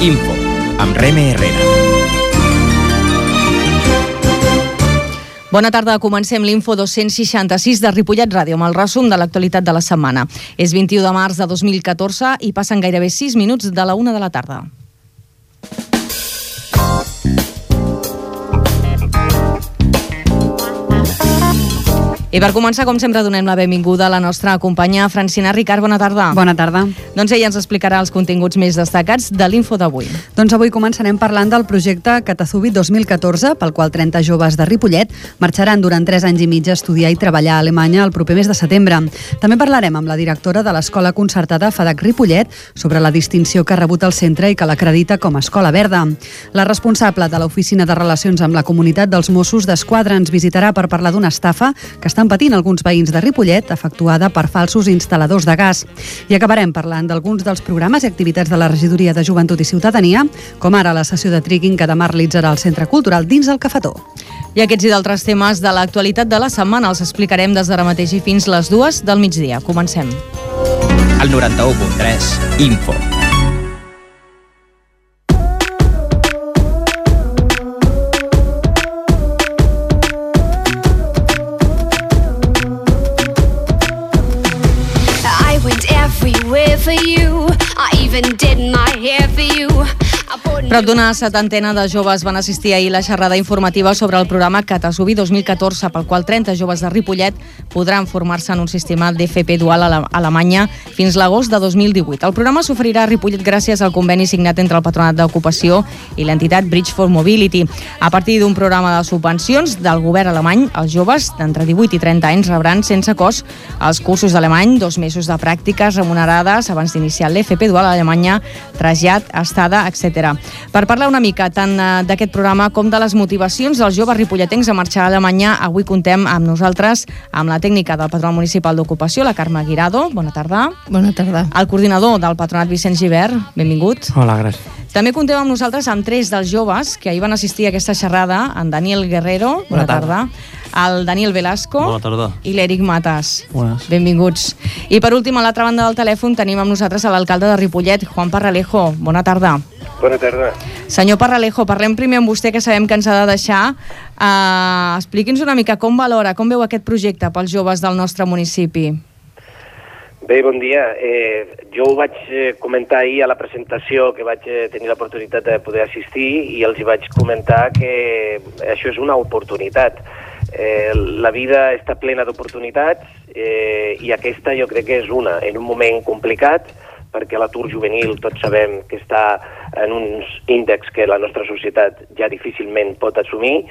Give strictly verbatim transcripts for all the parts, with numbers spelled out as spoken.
Info, amb Reme Herrera. Bona tarda, comencem l'Info dos-cents seixanta-sis de Ripollet Ràdio amb el resum de l'actualitat de la setmana. És vint-i-u de març de dos mil catorze i passen gairebé sis minuts de la una de la tarda. I per començar, com sempre, donem la benvinguda a la nostra companya Francina Ricard. Bona tarda. Bona tarda. Doncs ella ens explicarà els continguts més destacats de l'Info d'avui. Doncs avui començarem parlant del projecte Katazubi dos mil catorze, pel qual trenta joves de Ripollet marxaran durant tres anys i mig a estudiar i treballar a Alemanya el proper mes de setembre. També parlarem amb la directora de l'Escola Concertada FADAC Ripollet sobre la distinció que ha rebut el centre i que l'acredita com a Escola Verda. La responsable de l'Oficina de Relacions amb la Comunitat dels Mossos d'Esquadra ens visitarà per parlar d'una estafa que està estan patint alguns veïns de Ripollet, efectuada per falsos instal·ladors de gas. I acabarem parlant d'alguns dels programes i activitats de la Regidoria de Joventut i Ciutadania, com ara la sessió de trekking que demà realitzarà al Centre Cultural dins el Cafetó. I aquests i d'altres temes de l'actualitat de la setmana els explicarem des d'ara mateix i fins les dues del migdia. Comencem. El noranta-u punt tres, Info. For you, I even did my hair for you. Prop d'una setantena de joves van assistir ahir a la xerrada informativa sobre el programa Katazubi dos mil catorze, pel qual trenta joves de Ripollet podran formar-se en un sistema d'F P dual a Alemanya fins l'agost de dos mil divuit. El programa s'oferirà a Ripollet gràcies al conveni signat entre el Patronat d'Ocupació i l'entitat Bridge for Mobility. A partir d'un programa de subvencions del govern alemany, els joves d'entre divuit i trenta anys rebran sense cost els cursos d'alemany, dos mesos de pràctiques remunerades abans d'iniciar l'F P dual a Alemanya, trasllat, estada, etcètera. Per parlar una mica tant d'aquest programa com de les motivacions dels joves ripolletens a marxar a Alemanya, avui contem amb nosaltres amb la tècnica del Patronat Municipal d'Ocupació, la Carme Guirado. Bona tarda. Bona tarda. El coordinador del Patronat, Vicent Gibert. Benvingut. Hola, gràcies. També contem amb nosaltres amb tres dels joves que ahir van assistir a aquesta xerrada, en Daniel Guerrero. Bona, Bona tarda. tarda. El Daniel Velasco. Bona tarda. I l'Eric Matas. Bones. Benvinguts. I per últim, a l'altra banda del telèfon tenim amb nosaltres a l'alcalde de Ripollet, Juan Parralejo. Bona tarda. Bona tarda. Senyor Parralejo, parlem primer amb vostè, que sabem que ens ha de deixar. Uh, expliqui'ns una mica com valora, com veu aquest projecte pels joves del nostre municipi. Bé, bon dia. Eh, jo ho vaig comentar ahir a la presentació, que vaig tenir l'oportunitat de poder assistir, i els hi vaig comentar que això és una oportunitat. Eh, la vida està plena d'oportunitats eh, i aquesta jo crec que és una, en un moment complicat, perquè l'atur juvenil tots sabem que està en uns índexs que la nostra societat ja difícilment pot assumir,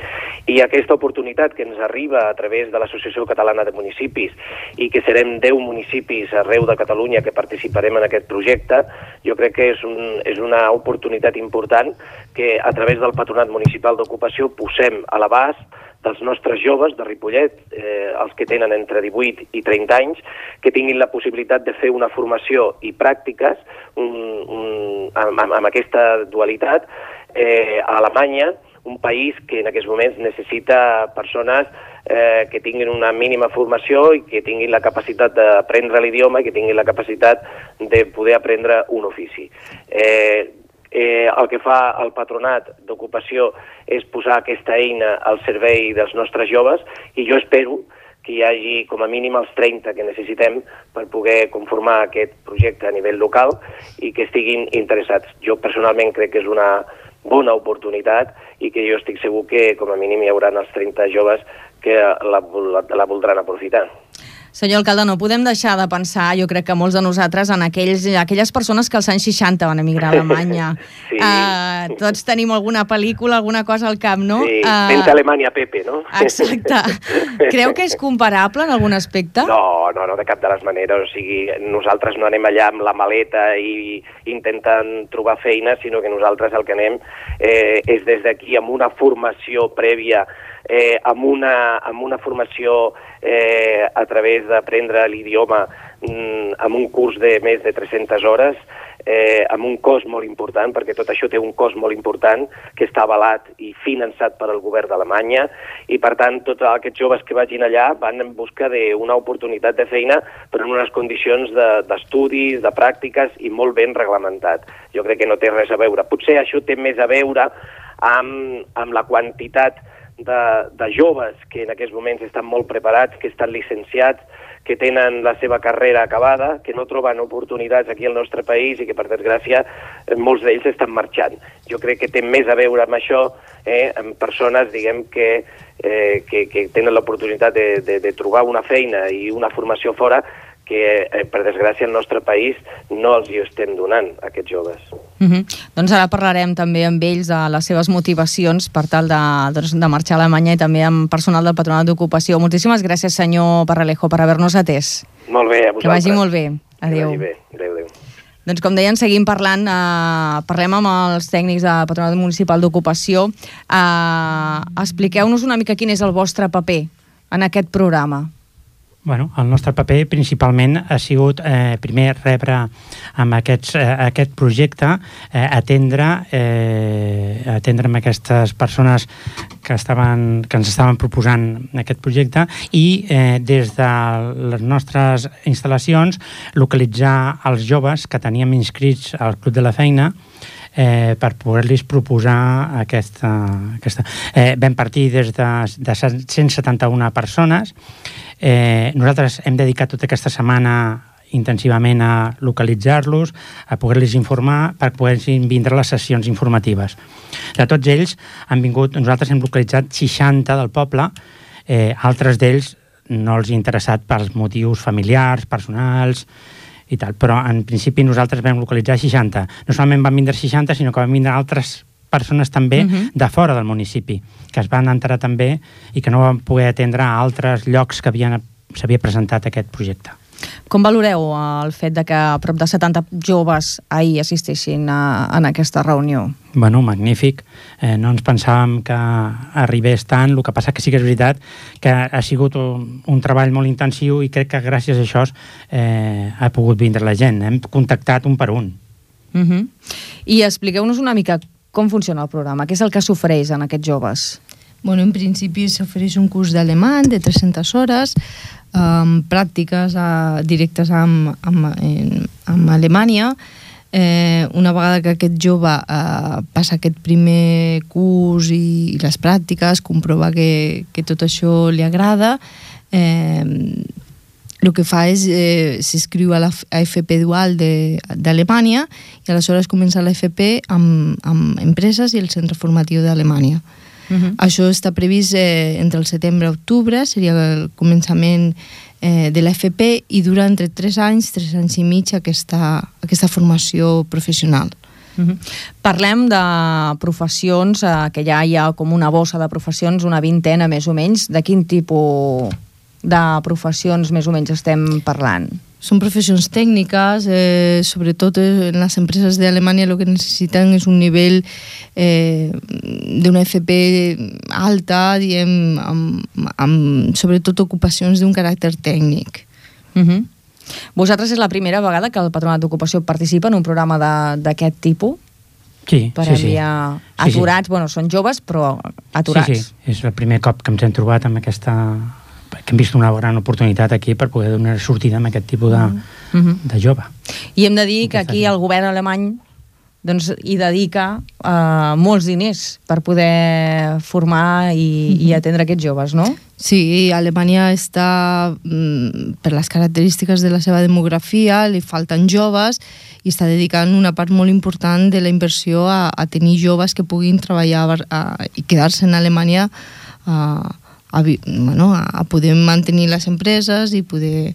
i aquesta oportunitat que ens arriba a través de l'Associació Catalana de Municipis i que serem deu municipis arreu de Catalunya que participarem en aquest projecte, jo crec que és, un, és una oportunitat important que a través del Patronat Municipal d'Ocupació posem a l'abast dels nostres joves de Ripollet, eh, els que tenen entre divuit i trenta anys, que tinguin la possibilitat de fer una formació i pràctiques un, un, amb, amb aquesta dualitat eh, a Alemanya, un país que en aquests moments necessita persones eh, que tinguin una mínima formació i que tinguin la capacitat d'aprendre l'idioma i que tinguin la capacitat de poder aprendre un ofici. Eh, Eh, el que fa el Patronat d'Ocupació és posar aquesta eina al servei dels nostres joves, i jo espero que hi hagi com a mínim els trenta que necessitem per poder conformar aquest projecte a nivell local i que estiguin interessats. Jo personalment crec que és una bona oportunitat i que jo estic segur que com a mínim hi haurà els trenta joves que la, la, la voldran aprofitar. Senyor alcalde, no podem deixar de pensar, jo crec que molts de nosaltres, en aquells, aquelles persones que als anys seixanta van emigrar a Alemanya. Sí. Uh, tots tenim alguna pel·lícula, alguna cosa al cap, no? Sí, uh, vent a Alemanya, Pepe, no? Exacte. Creu que és comparable en algun aspecte? No, no, no, de cap de les maneres. O sigui, nosaltres no anem allà amb la maleta i intentant trobar feina, sinó que nosaltres el que anem eh, és des d'aquí amb una formació prèvia, eh, amb, una, amb una formació eh, a través d'aprendre l'idioma mm, amb un curs de més de tres-centes hores, eh, amb un cost molt important, perquè tot això té un cost molt important que està avalat i finançat per al govern d'Alemanya, i per tant tots aquests joves que vagin allà van en busca d'una oportunitat de feina però en unes condicions d'estudis, de, de pràctiques i molt ben reglamentat. Jo crec que no té res a veure. Potser això té més a veure amb, amb la quantitat de, de joves que en aquests moments estan molt preparats, que estan llicenciats, que tenen la seva carrera acabada, que no troben oportunitats aquí al nostre país i que, per desgràcia, molts d'ells estan marxant. Jo crec que té més a veure amb això, eh, amb persones, diguem, que, eh, que, que tenen l'oportunitat de, de, de trobar una feina i una formació fora que, eh, per desgràcia, al nostre país no els hi estem donant, a aquests joves. Uh-huh. Doncs ara parlarem també amb ells de les seves motivacions per tal de, doncs, de marxar a Alemanya i també amb personal del Patronat d'Ocupació. Moltíssimes gràcies, senyor Parralejo, per haver-nos atès. Molt bé, a vosaltres. Que vagi molt bé. Adéu. Que vagi bé. Adéu, adéu. Doncs com deien, seguim parlant, eh, parlem amb els tècnics del Patronat Municipal d'Ocupació. Eh, expliqueu-nos una mica quin és el vostre paper en aquest programa. Bueno, el nostre paper principalment ha sigut eh, primer rebre amb aquests, eh, aquest projecte, eh, atendre, eh, atendre amb aquestes persones que, estaven, que ens estaven proposant aquest projecte i eh, des de les nostres instal·lacions localitzar els joves que teníem inscrits al Club de la Feina Eh, per poder-los proposar aquesta... aquesta. Eh, vam partir des de, de cent setanta-una persones. Eh, nosaltres hem dedicat tota aquesta setmana intensivament a localitzar-los, a poder-los informar per poder vindre a les sessions informatives. De tots ells han vingut, nosaltres hem localitzat seixanta del poble, eh, altres d'ells no els ha interessat pels motius familiars, personals i tal, però en principi nosaltres vam localitzar seixanta. No solament van vindre seixanta, sinó que van vindre altres persones també uh-huh. de fora del municipi, que es van enterar també i que no van poder atendre a altres llocs que havien, s'havia presentat aquest projecte. Com valoreu el fet de que a prop de setanta joves ahir assisteixin a, a aquesta reunió? Bueno, magnífic. Eh, no ens pensàvem que arribés tant. El que passa que sí que és veritat que ha sigut un, un treball molt intensiu i crec que gràcies a això eh, ha pogut vindre la gent. Hem contactat un per un. Uh-huh. I expliqueu-nos una mica com funciona el programa. Què és el que s'ofereix en aquests joves? Bueno, en principi s'ofereix un curs d'alemany de tres-centes hores, amb pràctiques uh, directes amb, amb, en, amb Alemanya. Eh, una vegada que aquest jove uh, passa aquest primer curs i, i les pràctiques, comprova que, que tot això li agrada, eh, el que fa és eh, s'inscriu a la a F P dual d'Alemanya i aleshores comença la F P amb, amb empreses i el centre formatiu d'Alemanya. Uh-huh. Això està previst eh, entre el setembre i octubre, seria el començament eh, de l'F P i dura entre tres anys, tres anys i mig aquesta, aquesta formació professional. Uh-huh. Parlem de professions, eh, que ja hi ha com una bossa de professions, una vintena més o menys. De quin tipus de professions més o menys estem parlant? Són professions tècniques, eh, sobretot en les empreses d'Alemanya el que necessiten és un nivell eh, d'una F P alta, diem, amb, amb sobretot ocupacions d'un caràcter tècnic. Uh-huh. Vosaltres és la primera vegada que el Patronat d'Ocupació participa en un programa d'aquest tipus? Sí, per sí, sí. enviar aturats, sí, sí. Bueno, són joves, però aturats. Sí, sí, és el primer cop que ens hem trobat amb aquesta... que hem vist una gran oportunitat aquí per poder donar sortida amb aquest tipus de, uh-huh. de jove. I hem de dir que aquí el govern alemany doncs, hi dedica uh, molts diners per poder formar i, uh-huh. i atendre aquests joves, no? Sí, Alemanya està, per les característiques de la seva demografia, li falten joves i està dedicant una part molt important de la inversió a, a tenir joves que puguin treballar a, i quedar-se en Alemanya a, a, bueno, a poder mantenir les empreses i poder...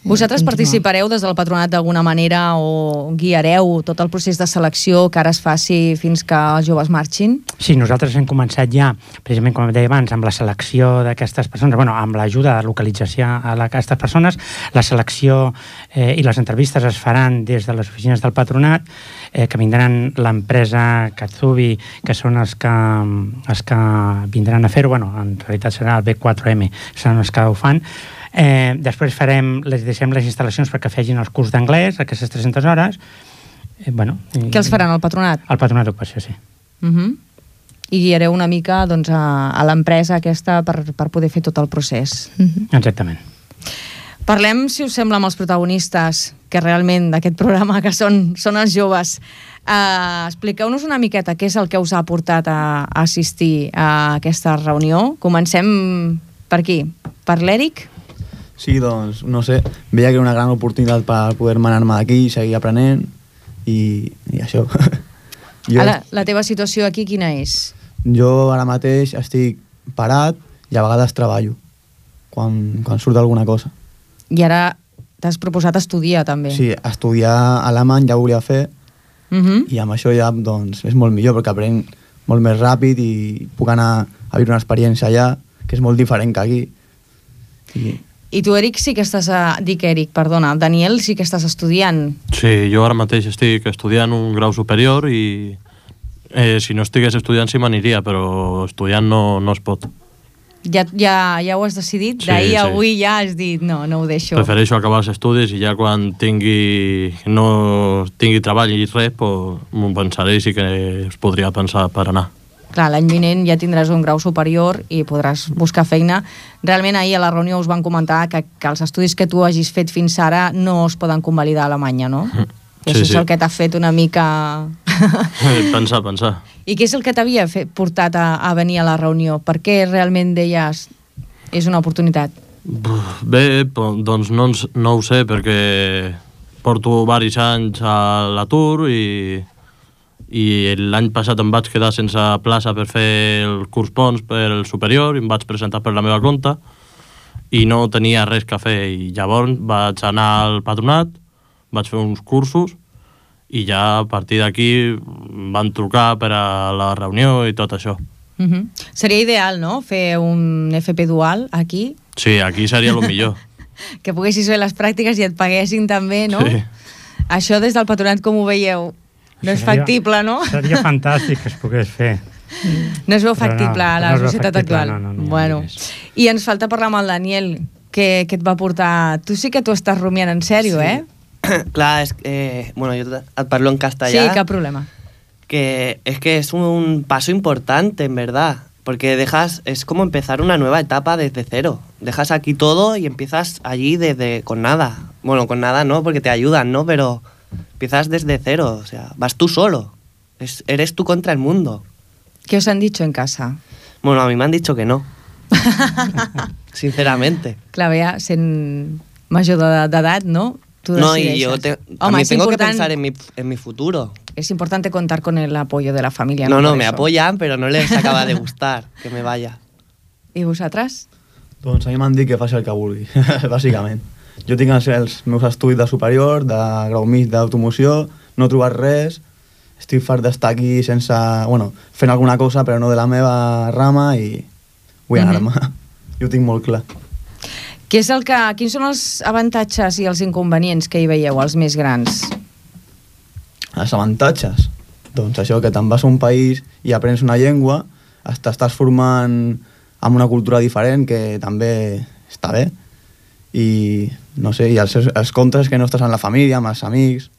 Vosaltres participareu des del patronat d'alguna manera o guiareu tot el procés de selecció que ara es faci fins que els joves marxin? Sí, nosaltres hem començat ja, precisament com deia abans, amb la selecció d'aquestes persones, bueno, amb l'ajuda de localització a aquestes persones. La selecció eh, i les entrevistes es faran des de les oficines del patronat, eh, que vindran l'empresa Katsubi, que són els que, els que vindran a fer-ho, bueno, en realitat serà el B quatre M, són els que ho fan. Eh, després farem, les deixem les instal·lacions perquè fegin els curs d'anglès, aquestes tres-centes hores, Eh, bueno, i, Què els faran, al patronat? Al patronat d'ocupació, sí. Uh -huh. I guiareu una mica doncs, a, a l'empresa aquesta per, per poder fer tot el procés. Uh -huh. Exactament. Parlem, si us sembla, amb els protagonistes que realment d'aquest programa, que són, són els joves. Uh, expliqueu-nos una miqueta què és el que us ha portat a, a assistir a aquesta reunió. Comencem per aquí, per l'Eric. Sí, doncs, no sé, veia que era una gran oportunitat per poder manar-me d'aquí i seguir aprenent i, i això. jo, Ara, la teva situació aquí quina és? jo ara mateix estic parat i a vegades treballo quan, quan surt alguna cosa. I ara t'has proposat estudiar, també. Sí, estudiar alemany ja ho volia fer Uh -huh. i amb això ja doncs, és molt millor perquè aprenc molt més ràpid i puc anar a viure una experiència allà que és molt diferent que aquí. I... I tu, Eric, sí que estàs... A... Dic Eric, perdona. Daniel, sí que estàs estudiant. Sí, jo ara mateix estic estudiant un grau superior i eh, si no estigués estudiant sí m'aniria, però estudiant no, no es pot. Ja, ja, ja ho has decidit? Sí, D'ahir a sí. avui ja has dit no, no ho deixo. Prefereixo acabar els estudis i ja quan tingui no tingui treball i res, pues, m'ho pensaré i sí que es podria pensar per anar. Clar, l'any vinent ja tindràs un grau superior i podràs buscar feina. Realment ahir a la reunió us van comentar que, que els estudis que tu hagis fet fins ara no es poden convalidar a Alemanya, no? Mm. I Sí, això sí. és el que t'ha fet una mica... pensar, pensar. I què és el que t'havia fet- portat a, a venir a la reunió? Per què realment deies és una oportunitat? Bé, po- doncs no, ens- no ho sé, perquè porto diversos anys a l'atur i, i l'any passat em vaig quedar sense plaça per fer el curs Pons per el superior i em vaig presentar per la meva compte i no tenia res que fer i llavors vaig anar al patronat, vaig fer uns cursos i ja a partir d'aquí em van trucar per a la reunió i tot això. Uh -huh. Seria ideal, no?, fer un F P dual aquí, Sí, aquí seria el millor. que poguessis fer les pràctiques i et paguessin també, no? Sí. Això des del patronat com ho veieu? No és Seria- factible, no? Seria fantàstic que es pogués fer. No es veu Però no, factible a la no es veu societat factible, actual. no, no, no hi ha bueno. diners. I ens falta parlar amb el Daniel, que, que et va portar... Tu sí que t'ho estàs rumiant en sèrio, Sí. eh? Clar, és que, eh, bueno, yo te- et parlo en castellà. Sí, cap problema. Que es que es un paso importante, en verdad. Porque dejas, es como empezar una nueva etapa desde cero. Dejas aquí todo y empiezas allí desde con nada. Bueno, con nada no, porque te ayudan, ¿no? Pero empiezas desde cero, o sea, vas tú solo. Es, eres tú contra el mundo. Què us han dicho en casa? Bueno, a mí me han dicho que no. Sinceramente. Clar, ja, sent major de- d'edat, no? Tu No, y decideixes. yo te- Home, también és tengo que important, pensar en mi, en mi futuro. es importante contar con el apoyo de la familia. No, no, Por me eso. apoyan, pero no les acaba de gustar que me vaya. I vosaltres? Doncs a mi m'han dit que faci el que vulgui, bàsicament. Jo tinc els, els meus estudis de superior, de grau mig d'automoció, no he trobat res, estic fart d'estar aquí sense... Bueno, fent alguna cosa, però no de la meva rama i vull Mhm. anar-me. Jo ho tinc molt clar. Què és el que, quins són els avantatges i els inconvenients que hi veieu, els més grans? Els avantatges? Doncs això, que te'n vas a un país i aprens una llengua, t'estàs formant amb una cultura diferent, que també està bé, i no sé, i els, els contres que no estàs amb la família, amb els amics.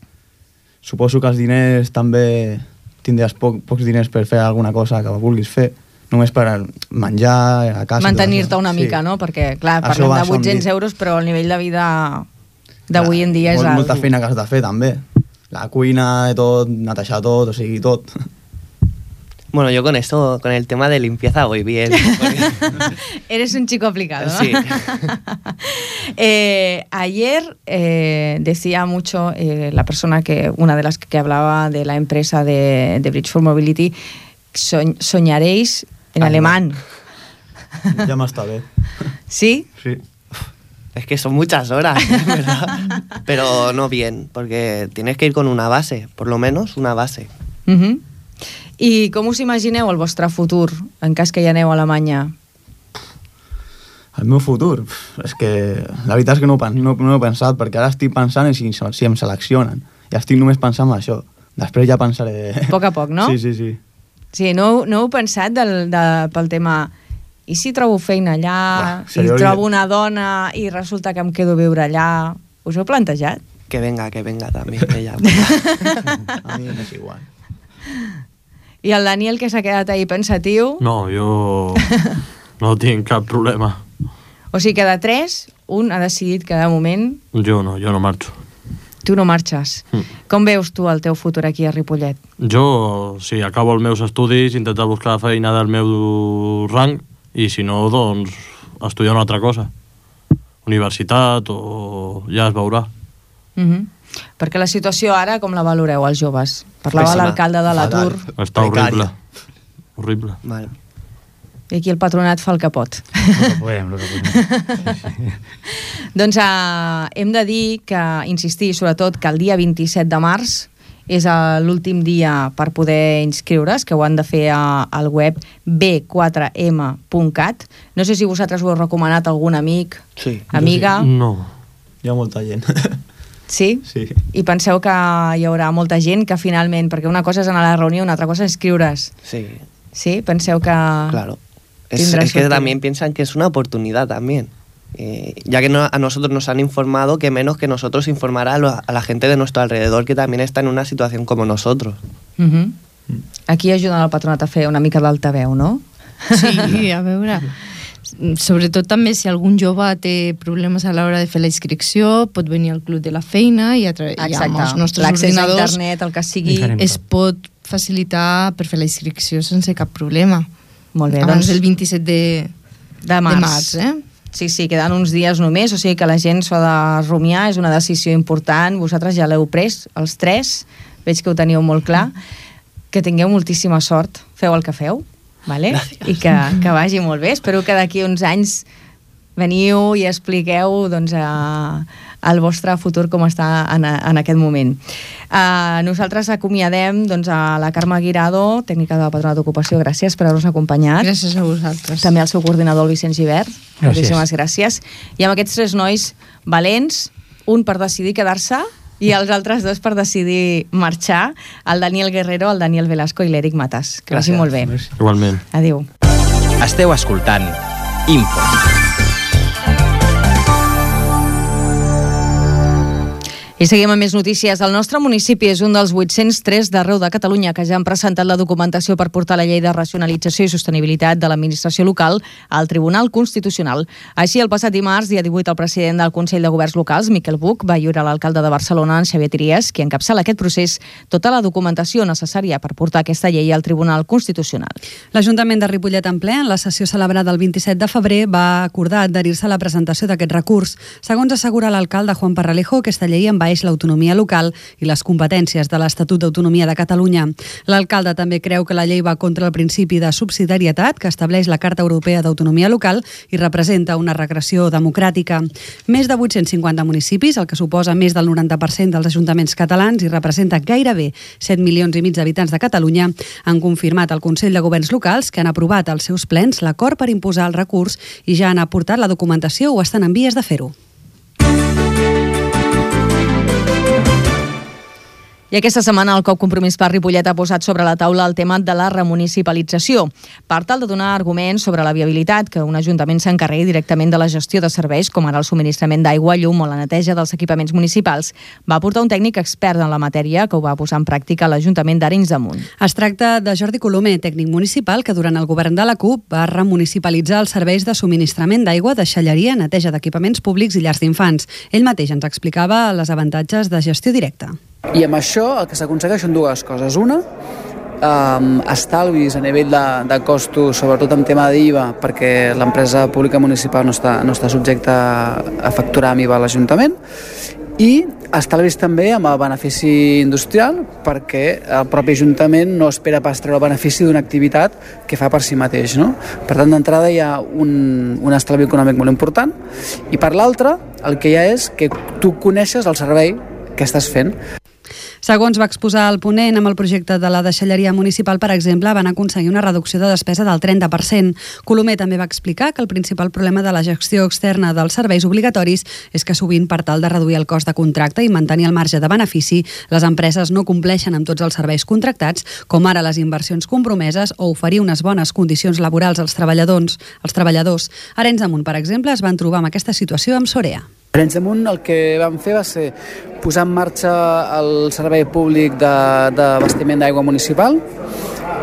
Suposo que els diners també tindràs poc, pocs diners per fer alguna cosa que vulguis fer, només per menjar a casa. Mantenir-te una Sí. mica, no? Perquè, clar, Això parlem va, de això em vuit-cents dic. euros, però el nivell de vida d'avui en dia és Molt, alt. molta feina que has de fer també, la cuina, tot, netejar tot, o sigui, tot. Bueno, yo con esto, con el tema de limpieza voy bien. porque- Eres un chico aplicado, ¿no? Sí. Eh, ayer eh, decía mucho eh, la persona que, una de las que hablaba de la empresa de, de Bridge for Mobility, soñ- soñaréis en Ah, alemán. Ja m'està bé. ¿Sí? Sí. Es que son muchas horas, ¿eh? ¿Verdad? Pero no bien, porque tienes que ir con una base, por lo menos una base. Uh-huh. I com us imagineu el vostre futur en cas que hi aneu a Alemanya? El meu futur? Pff, és que la veritat és que no, ho pen- no, no ho he pensat, perquè ara estic pensant en si, si em seleccionen. I estic només pensant en això. Després ja pensaré... A poc a poc, no? Sí, sí, sí. Sí, no, no heu pensat del, de, pel tema... I si trobo feina allà, Uah, i seria trobo horrible. una dona i resulta que em quedo a viure allà... Us ho heu plantejat? Que venga, que venga també, ella. A mi m'és igual. I el Daniel, que s'ha quedat ahí pensatiu? No, jo no tinc cap problema. O sigui que de tres, un ha decidit que de moment... Jo no, jo no marxo. Tu no marxes. Mm. Com veus tu el teu futur aquí a Ripollet? Jo, si acabo els meus estudis, intentar buscar feina del meu rang, i si no, doncs, estudiar una altra cosa. Universitat o... ja es veurà. Mm-hmm. Perquè la situació ara, com la valoreu, els joves? Parlava l'alcalde de l'atur. Està horrible. Horrible. Vale. I aquí el patronat fa el que pot. El que podem, el que podem. Doncs uh, hem de dir que, insistir, sobretot, que el dia vint-i-set de març és uh, l'últim dia per poder inscriure's, que ho han de fer uh, al web b quatre m punt cat. No sé si vosaltres ho heu recomanat a algun amic, sí, amiga. Sí. No. Hi ha molta gent. Sí? Sí. I penseu que hi haurà molta gent que finalment, perquè una cosa és anar a la reunió, una altra cosa és inscriure's. Sí. Sí? Penseu que... Claro. Es, es que también piensan que es una oportunidad también. Eh, ya que no, a nosotros nos han informado, que menos que nosotros informar a, lo, a la gente de nuestro alrededor que también está en una situación como nosotros. Uh-huh. Aquí ajuden el patronat a fer una mica d'altaveu, no? Sí, a veure... Sobretot també si algun jove té problemes a l'hora de fer la inscripció, pot venir al club de la feina i, a tra- i amb els nostres l'accés ordinadors a internet, el que sigui, es pot facilitar per fer la inscripció sense cap problema. Molt bé, abans doncs, del vint-i-set de, de març. de març eh? Sí, sí, queden uns dies només, o sigui que la gent s'ho ha de rumiar, és una decisió important, vosaltres ja l'heu pres, els tres, veig que ho teniu molt clar, que tingueu moltíssima sort, feu el que feu, vale? I que, que vagi molt bé. Espero que d'aquí uns anys veniu i expliqueu doncs, a, el vostre futur com està en, en aquest moment. Uh, nosaltres acomiadem doncs, a la Carme Guirado, tècnica de la Patronat d'Ocupació. Gràcies per haver-nos acompanyat. Gràcies a vosaltres. També al seu coordinador, el Vicenç Givert. Gràcies. Moltíssimes gràcies. I amb aquests tres nois valents, un per decidir quedar-se i els altres dos per decidir marxar, el Daniel Guerrero, el Daniel Velasco i l'Eric Matas. Que vagi molt bé. Igualment. Adéu. Esteu escoltant Info. I seguim amb més notícies. El nostre municipi és un dels vuit-cents tres d'arreu de Catalunya que ja han presentat la documentació per portar la llei de racionalització i sostenibilitat de l'administració local al Tribunal Constitucional. Així, el passat dimarts, dia divuit, el president del Consell de Governs Locals, Miquel Buch, va lliurar a l'alcalde de Barcelona, en Xavier Trias, qui encapçala aquest procés, tota la documentació necessària per portar aquesta llei al Tribunal Constitucional. L'Ajuntament de Ripollet en ple, en la sessió celebrada el vint-i-set de febrer, va acordar adherir-se a la presentació d'aquest recurs. Segons assegura l'alcalde Juan Parralejo, aquesta llei envaeix l'autonomia local i les competències de l'Estatut d'Autonomia de Catalunya. L'alcalde també creu que la llei va contra el principi de subsidiarietat que estableix la Carta Europea d'Autonomia Local i representa una regressió democràtica. Més de vuit-cents cinquanta municipis, el que suposa més del noranta per cent dels ajuntaments catalans i representa gairebé set milions i mig d'habitants de Catalunya, han confirmat al Consell de Governs Locals que han aprovat als seus plens l'acord per imposar el recurs i ja han aportat la documentació o estan en vies de fer-ho. I aquesta setmana el C O P Compromís per Ripollet ha posat sobre la taula el tema de la remunicipalització, per tal de donar arguments sobre la viabilitat que un ajuntament s'encarregui directament de la gestió de serveis, com ara el subministrament d'aigua, llum o la neteja dels equipaments municipals. Va portar un tècnic expert en la matèria que ho va posar en pràctica a l'Ajuntament d'Arenys de Munt. Es tracta de Jordi Colomer, tècnic municipal, que durant el govern de la C U P va remunicipalitzar els serveis de subministrament d'aigua, deixalleria, neteja d'equipaments públics i llars d'infants. Ell mateix ens explicava les avantatges de gestió directa. I amb això el que s'aconsegueix són dues coses. Una, um, estalvis a nivell de, de costos, sobretot en tema d'I V A, perquè l'empresa pública municipal no està, no està subjecta a facturar amb I V A a l'Ajuntament, i estalvis també amb el benefici industrial, perquè el propi Ajuntament no espera pas treure el benefici d'una activitat que fa per si mateix, no? Per tant, d'entrada hi ha un, un estalvi econòmic molt important, i per l'altra, el que hi ha és que tu coneixes el servei que estàs fent. Segons va exposar el ponent, amb el projecte de la deixalleria municipal, per exemple, van aconseguir una reducció de despesa del trenta per cent. Colomer també va explicar que el principal problema de la gestió externa dels serveis obligatoris és que sovint, per tal de reduir el cost de contracte i mantenir el marge de benefici, les empreses no compleixen amb tots els serveis contractats, com ara les inversions compromeses o oferir unes bones condicions laborals als treballadors. Als treballadors. A Arenys de Munt, per exemple, es van trobar amb aquesta situació amb Sorea. Arenys de Munt el que vam fer va ser posar en marxa el servei públic d'abastiment d'aigua municipal,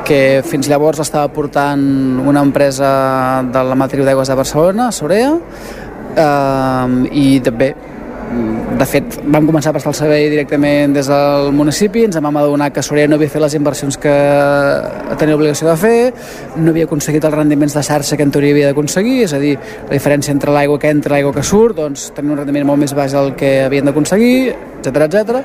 que fins llavors estava portant una empresa de la matriu d'aigües de Barcelona, Sorea, eh, i també, de fet, vam començar a prestar el servei directament des del municipi, ens vam adonar que Sorea no havia fet les inversions que tenia obligació de fer, no havia aconseguit els rendiments de xarxa que en teoria havia d'aconseguir, és a dir, la diferència entre l'aigua que entra i l'aigua que surt, doncs tenia un rendiment molt més baix del que havien d'aconseguir, etcètera, etcètera.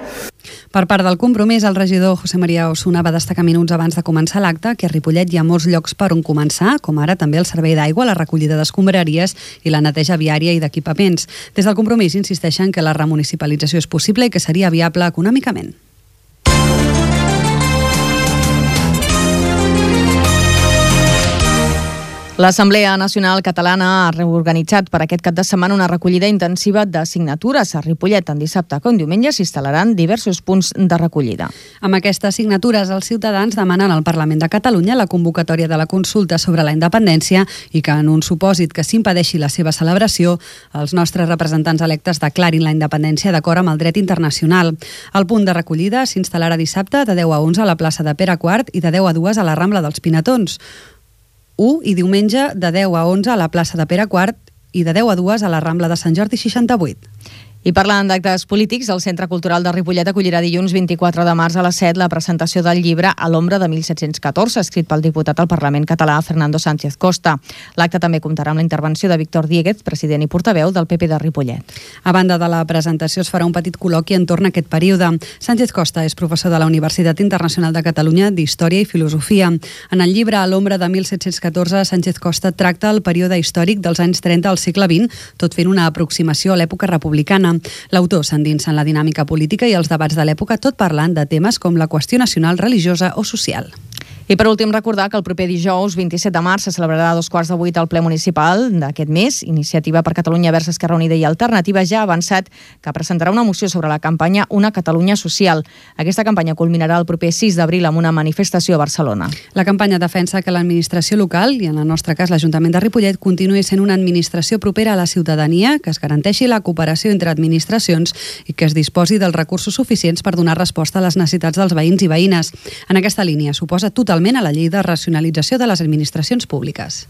Per part del Compromís, el regidor José María Osuna va destacar minuts abans de començar l'acte que a Ripollet hi ha molts llocs per on començar, com ara també el servei d'aigua, la recollida d'escombraries i la neteja viària i d'equipaments. Des del Compromís insisteixen que la remunicipalització és possible i que seria viable econòmicament. L'Assemblea Nacional Catalana ha reorganitzat per aquest cap de setmana una recollida intensiva de signatures. A Ripollet, tant dissabte com diumenge, s'instal·laran diversos punts de recollida. Amb aquestes signatures, els ciutadans demanen al Parlament de Catalunya la convocatòria de la consulta sobre la independència i que, en un supòsit que s'impedeixi la seva celebració, els nostres representants electes declarin la independència d'acord amb el dret internacional. El punt de recollida s'instal·larà dissabte de deu a onze a la plaça de Pere quart i de deu a dues a la Rambla dels Pinatons. u i diumenge de deu a onze a la plaça de Pere quart i de deu a dues a la Rambla de Sant Jordi seixanta-vuit. I parlant d'actes polítics, el Centre Cultural de Ripollet acollirà dilluns vint-i-quatre de març a les set la presentació del llibre A l'ombra de mil set-cents catorze, escrit pel diputat al Parlament català Fernando Sánchez Costa. L'acte també comptarà amb la intervenció de Víctor Dieguez, president i portaveu del P P de Ripollet. A banda de la presentació, es farà un petit col·loqui entorn a aquest període. Sánchez Costa és professor de la Universitat Internacional de Catalunya d'Història i Filosofia. En el llibre A l'ombra de mil set-cents catorze, Sánchez Costa tracta el període històric dels anys trenta al segle vint, tot fent una aproximació a l'època republicana. L'autor s'endinsa en la dinàmica política i els debats de l'època, tot parlant de temes com la qüestió nacional, religiosa o social. I per últim recordar que el proper dijous vint-i-set de març se celebrarà a dos quarts de vuit el ple municipal d'aquest mes. Iniciativa per Catalunya Verds Esquerra Unida i Alternativa ja ha avançat que presentarà una moció sobre la campanya Una Catalunya Social. Aquesta campanya culminarà el proper sis d'abril amb una manifestació a Barcelona. La campanya defensa que l'administració local, i en el nostre cas l'Ajuntament de Ripollet, continuï sent una administració propera a la ciutadania, que es garanteixi la cooperació entre administracions i que es disposi dels recursos suficients per donar resposta a les necessitats dels veïns i veïnes. En aquesta línia suposa totalment a la llei de racionalització de les administracions públiques.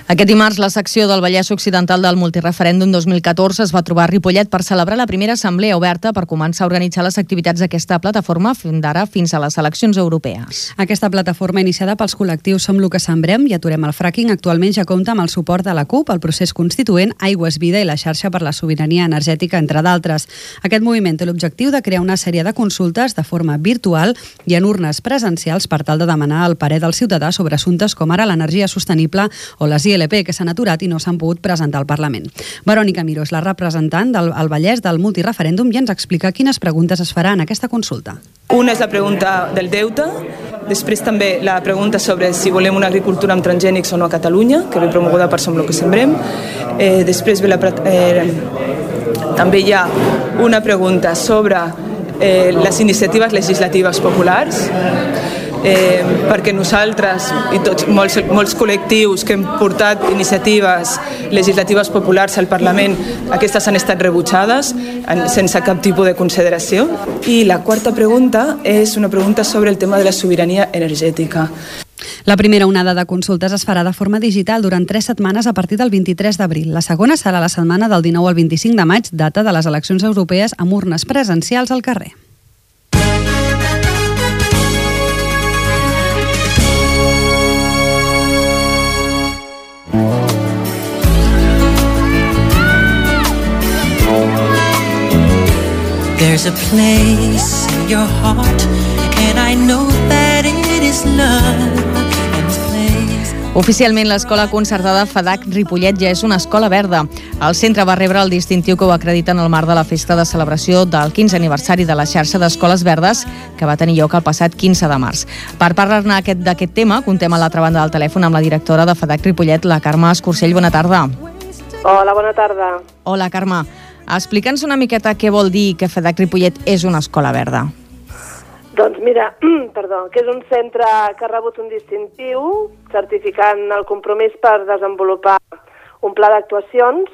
Aquest dimarts, la secció del Vallès Occidental del Multireferèndum dos mil catorze es va trobar a Ripollet per celebrar la primera assemblea oberta per començar a organitzar les activitats d'aquesta plataforma d'ara fins a les eleccions europees. Aquesta plataforma, iniciada pels col·lectius Som lo que sembrem i Aturem el fracking, actualment ja compta amb el suport de la CUP, el procés constituent, Aigües Vida i la xarxa per la sobirania energètica, entre d'altres. Aquest moviment té l'objectiu de crear una sèrie de consultes de forma virtual i en urnes presencials per tal de demanar el parer del ciutadà sobre assumptes com ara l'energia sostenible o les I L P que s'han aturat i no s'han pogut presentar al Parlament. Verònica Miró és la representant del Vallès del multireferèndum i ens explica quines preguntes es faran en aquesta consulta. Una és la pregunta del deute, després també la pregunta sobre si volem una agricultura amb transgènics o no a Catalunya, que ve promoguda per Som lo que sembrem. Eh, després ve la, eh, també hi ha una pregunta sobre eh, les iniciatives legislatives populars, Eh, perquè nosaltres i tots, molts, molts col·lectius que hem portat iniciatives legislatives populars al Parlament, aquestes han estat rebutjades en, sense cap tipus de consideració. I la quarta pregunta és una pregunta sobre el tema de la sobirania energètica. La primera onada de consultes es farà de forma digital durant tres setmanes a partir del vint-i-tres d'abril. La segona serà la setmana del dinou al vint-i-cinc de maig, data de les eleccions europees amb urnes presencials al carrer. There's a place in your heart and I know that it is love. Oficialment, l'escola concertada FADAC Ripollet ja és una escola verda. El centre va rebre el distintiu que ho acredita en el marc de la festa de celebració del quinzè aniversari de la xarxa d'escoles verdes que va tenir lloc el passat quinze de març. Per parlar-ne d'aquest tema, contem a l'altra banda del telèfon amb la directora de FADAC Ripollet, la Carme Escursell. Bona tarda. Hola, bona tarda. Hola, Carme. Explica'ns una miqueta què vol dir que FADAC Ripollet és una escola verda. Doncs mira, perdó, que és un centre que ha rebut un distintiu certificant el compromís per desenvolupar un pla d'actuacions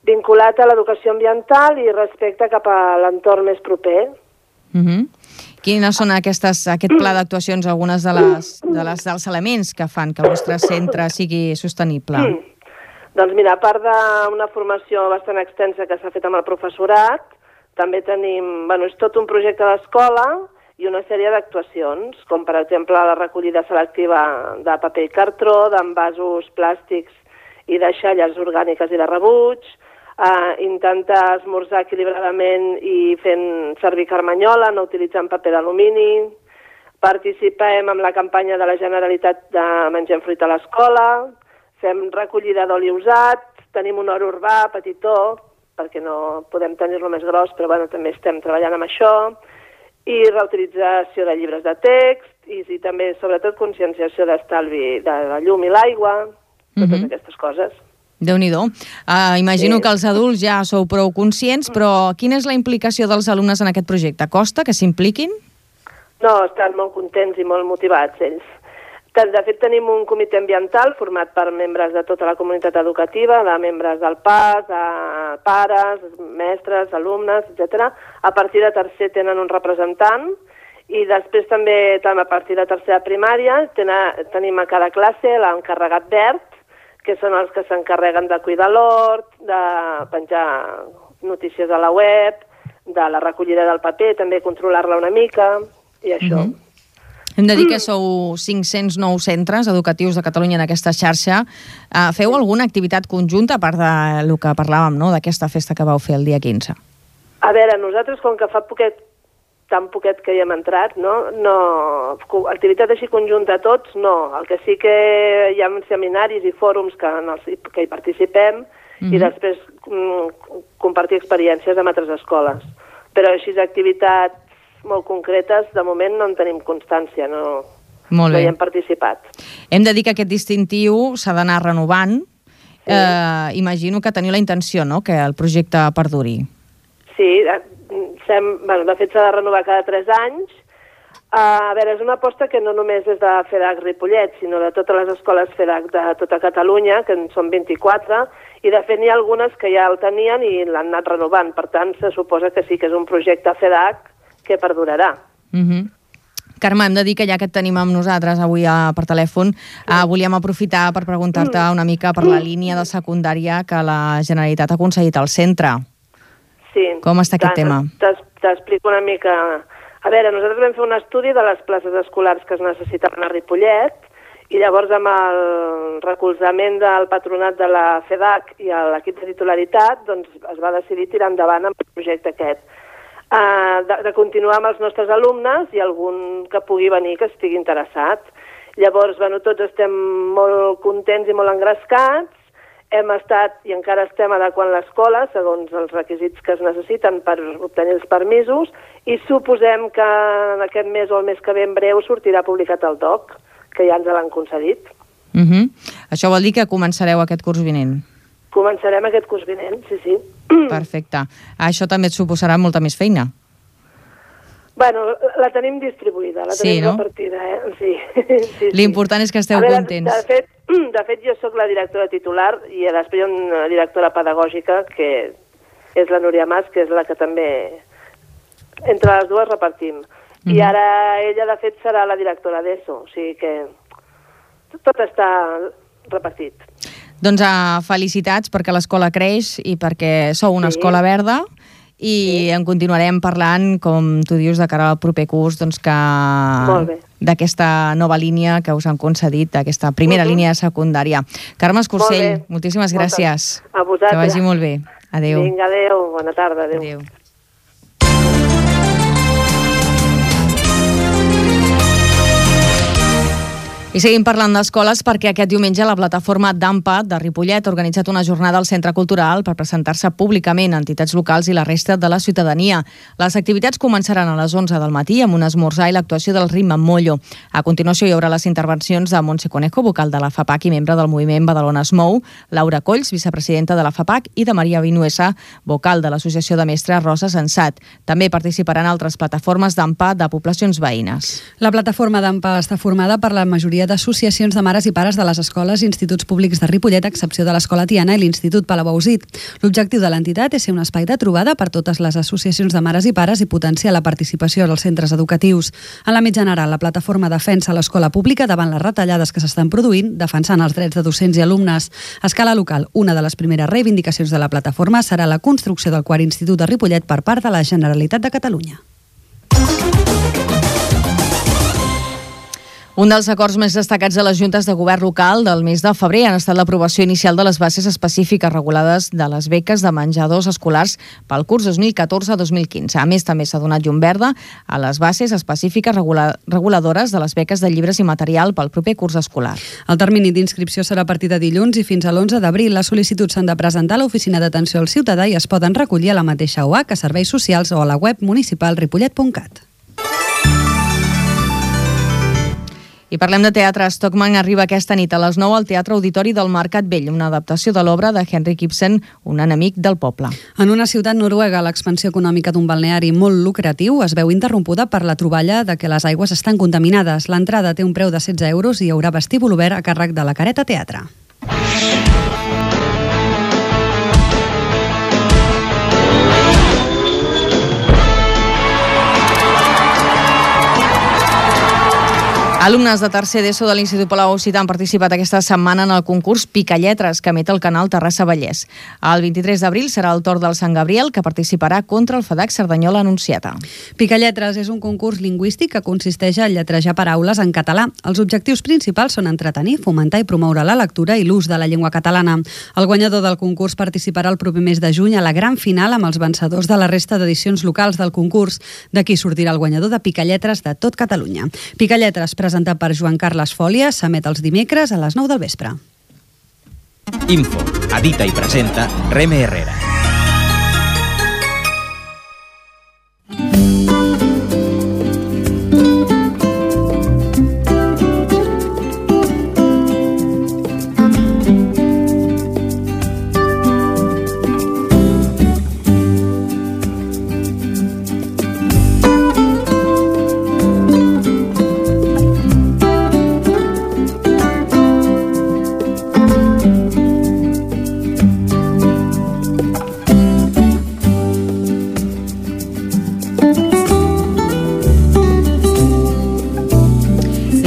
vinculat a l'educació ambiental i respecte cap a l'entorn més proper. Uh-huh. Quines són aquestes, aquest pla d'actuacions, algunes de les, de les, dels elements que fan que el vostre centre sigui sostenible? Mm. Doncs mira, a part d'una formació bastant extensa que s'ha fet amb el professorat, també tenim, bueno, és tot un projecte d'escola i una sèrie d'actuacions, com per exemple la recollida selectiva de paper i cartró, d'envasos plàstics i de deixalles orgàniques i de rebuig, Uh, intentar esmorzar equilibradament i fent servir carmanyola, no utilitzant paper d'alumini. Participem en la campanya de la Generalitat de Mengem fruita a l'escola, fem recollida d'oli usat, tenim un hort urbà petitó, perquè no podem tenir-lo més gros, però bueno, també estem treballant amb això, i reutilització de llibres de text, i, i també, sobretot, conscienciació d'estalvi de la llum i l'aigua, totes uh-huh. aquestes coses. Déu-n'hi-do. Uh, imagino sí. que els adults ja sou prou conscients, però quina és la implicació dels alumnes en aquest projecte? Costa que s'impliquin? No, estan molt contents i molt motivats ells. De fet, tenim un comitè ambiental format per membres de tota la comunitat educativa, de membres del P A S, de pares, mestres, alumnes, etcètera. A partir de tercer tenen un representant i després també, a partir de tercera primària, tenim a cada classe l'encarregat verd, que són els que s'encarreguen de cuidar l'hort, de penjar notícies a la web, de la recollida del paper, també controlar-la una mica, i això. Uh-huh. Hem de dir que sou cinc-cents nou centres educatius de Catalunya en aquesta xarxa. Uh, feu alguna activitat conjunta, a part del que parlàvem, no?, d'aquesta festa que vau fer el dia quinze? A veure, nosaltres, com que fa poquet, tan poquet que hi hem entrat, no? no activitat així conjunta a tots, no. El que sí que hi ha seminaris i fòrums que, en els, que hi participem mm-hmm. i després mm, compartir experiències amb altres escoles. Però així activitats molt concretes, de moment no en tenim constància, no, molt no bé. hi hem participat. Hem de dir que aquest distintiu s'ha d'anar renovant. Sí. Eh, imagino que teniu la intenció, no?, que el projecte perduri. Sí, sem, bueno, de fet s'ha de renovar cada tres anys. Uh, a veure, és una aposta que no només és de FEDAC Ripollet, sinó de totes les escoles FEDAC de tota Catalunya, que en són vint-i-quatre, i de fet n'hi ha algunes que ja el tenien i l'han anat renovant. Per tant, se suposa que sí que és un projecte FEDAC que perdurarà. Uh-huh. Carme, hem de dir que ja que et tenim amb nosaltres avui a, per telèfon, sí. uh, volíem aprofitar per preguntar-te una mica per la línia de secundària que la Generalitat ha aconseguit al centre. Sí. Com està aquest tema? T'explico una mica. A veure, nosaltres vam fer un estudi de les places escolars que es necessitaven a Ripollet i llavors amb el recolzament del patronat de la FEDAC i l'equip de titularitat doncs es va decidir tirar endavant amb el projecte aquest. Uh, de, de continuar amb els nostres alumnes i algun que pugui venir que estigui interessat. Llavors, bueno, tots estem molt contents i molt engrescats. Hem estat i encara estem adequant l'escola segons els requisits que es necessiten per obtenir els permisos i suposem que en aquest mes o el mes que ve en breu sortirà publicat el D O C, que ja ens l'han concedit. Uh-huh. Això vol dir que començareu aquest curs vinent? Començarem aquest curs vinent, sí, sí. Perfecte. Això també et suposarà molta més feina? Bueno, la tenim distribuïda, la tenim sí, no? repartida, eh? Sí. sí, sí. L'important és que esteu veure, contents. De fet, de fet, jo sóc la directora titular i després hi ha una directora pedagògica que és la Núria Mas, que és la que també entre les dues repartim. Mm-hmm. I ara ella, de fet, serà la directora d'ESO, o sigui que tot està repartit. Doncs uh, felicitats perquè l'escola creix i perquè sou una sí. escola verda i sí. en continuarem parlant, com tu dius, de cara al proper curs, doncs que d'aquesta nova línia que us han concedit, aquesta primera uh-huh. línia de secundària. Carme Escursell, Molt moltíssimes gràcies. A vosaltres. Que vagi molt bé. Adéu. Vinga, adéu. Bona tarda. Adéu. adéu. I seguim parlant d'escoles perquè aquest diumenge la plataforma d'AMPA de Ripollet ha organitzat una jornada al Centre Cultural per presentar-se públicament a entitats locals i la resta de la ciutadania. Les activitats començaran a les onze del matí amb un esmorzar i l'actuació del ritme Mollo. A continuació hi haurà les intervencions de Montse Conejo, vocal de la FAPAC i membre del moviment Badalona es Mou, Laura Colls, vicepresidenta de la FAPAC, i de Maria Vinuesa, vocal de l'Associació de Mestres Rosa Sensat. També participaran altres plataformes d'AMPA de poblacions veïnes. La plataforma d'AMPA està formada per la majoria d'associacions de mares i pares de les escoles i instituts públics de Ripollet, a excepció de l'Escola Tiana i l'Institut Palau-Ausit. L'objectiu de l'entitat és ser un espai de trobada per totes les associacions de mares i pares i potenciar la participació als centres educatius. En l'àmbit general, la plataforma defensa l'escola pública davant les retallades que s'estan produint, defensant els drets de docents i alumnes. A escala local, una de les primeres reivindicacions de la plataforma serà la construcció del quart institut de Ripollet per part de la Generalitat de Catalunya. Un dels acords més destacats de les juntes de govern local del mes de febrer han estat l'aprovació inicial de les bases específiques regulades de les beques de menjadors escolars pel curs dos mil catorze dos mil quinze. A més, també s'ha donat llum verda a les bases específiques regula reguladores de les beques de llibres i material pel proper curs escolar. El termini d'inscripció serà a partir de dilluns i fins a l'onze d'abril. Les sol·licituds s'han de presentar a l'Oficina d'Atenció al Ciutadà i es poden recollir a la mateixa O A C, a Serveis Socials o a la web municipal ripollet punt cat. I parlem de teatre. Stockman arriba aquesta nit a les nou al Teatre Auditori del Mercat Vell, una adaptació de l'obra de Henrik Ibsen, Un enemic del poble. En una ciutat noruega, l'expansió econòmica d'un balneari molt lucratiu es veu interrompuda per la troballa de que les aigües estan contaminades. L'entrada té un preu de setze euros i hi haurà vestíbul obert a càrrec de la Careta Teatre. Alumnes de tercer d'ESO de l'Institut Palau-Ausit han participat aquesta setmana en el concurs Picalletres que emet el canal Terrassa Vallès. El vint-i-tres d'abril serà el torn del Sant Gabriel, que participarà contra el FEDAC Cerdanyola Anunciata. Picalletres és un concurs lingüístic que consisteix a lletrejar paraules en català. Els objectius principals són entretenir, fomentar i promoure la lectura i l'ús de la llengua catalana. El guanyador del concurs participarà el proper mes de juny a la gran final amb els vencedors de la resta d'edicions locals del concurs. D'aquí sortirà el guanyador de Picalletres de tot Catalunya. Picalletres, presentat per Joan Carles Fòlia, s'emet els dimecres a les nou del vespre. Info, edita i presenta Reme Herrera.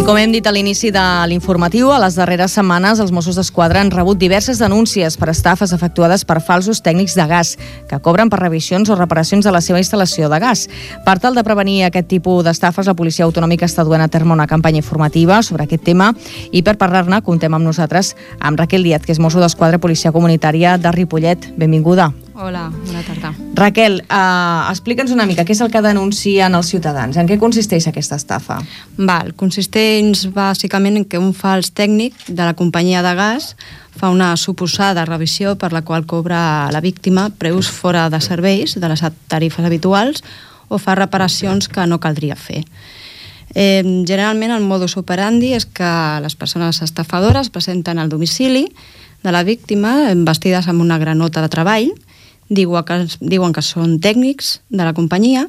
Com hem dit a l'inici de l'informatiu, a les darreres setmanes els Mossos d'Esquadra han rebut diverses denúncies per estafes efectuades per falsos tècnics de gas que cobren per revisions o reparacions de la seva instal·lació de gas. Per tal de prevenir aquest tipus d'estafes, la Policia Autonòmica està duent a terme una campanya informativa sobre aquest tema i per parlar-ne contem amb nosaltres amb Raquel Díaz, que és Mosso d'Esquadra Policia Comunitària de Ripollet. Benvinguda. Hola, bona tarda. Raquel, eh, explica'ns una mica què és el que denuncien els ciutadans. En què consisteix aquesta estafa? Val, consisteix bàsicament en que un fals tècnic de la companyia de gas fa una suposada revisió per la qual cobra la víctima preus fora de serveis de les tarifes habituals o fa reparacions que no caldria fer. Eh, generalment el modus operandi és que les persones estafadores presenten al domicili de la víctima vestides amb una granota de treball, diuen que, diuen que són tècnics de la companyia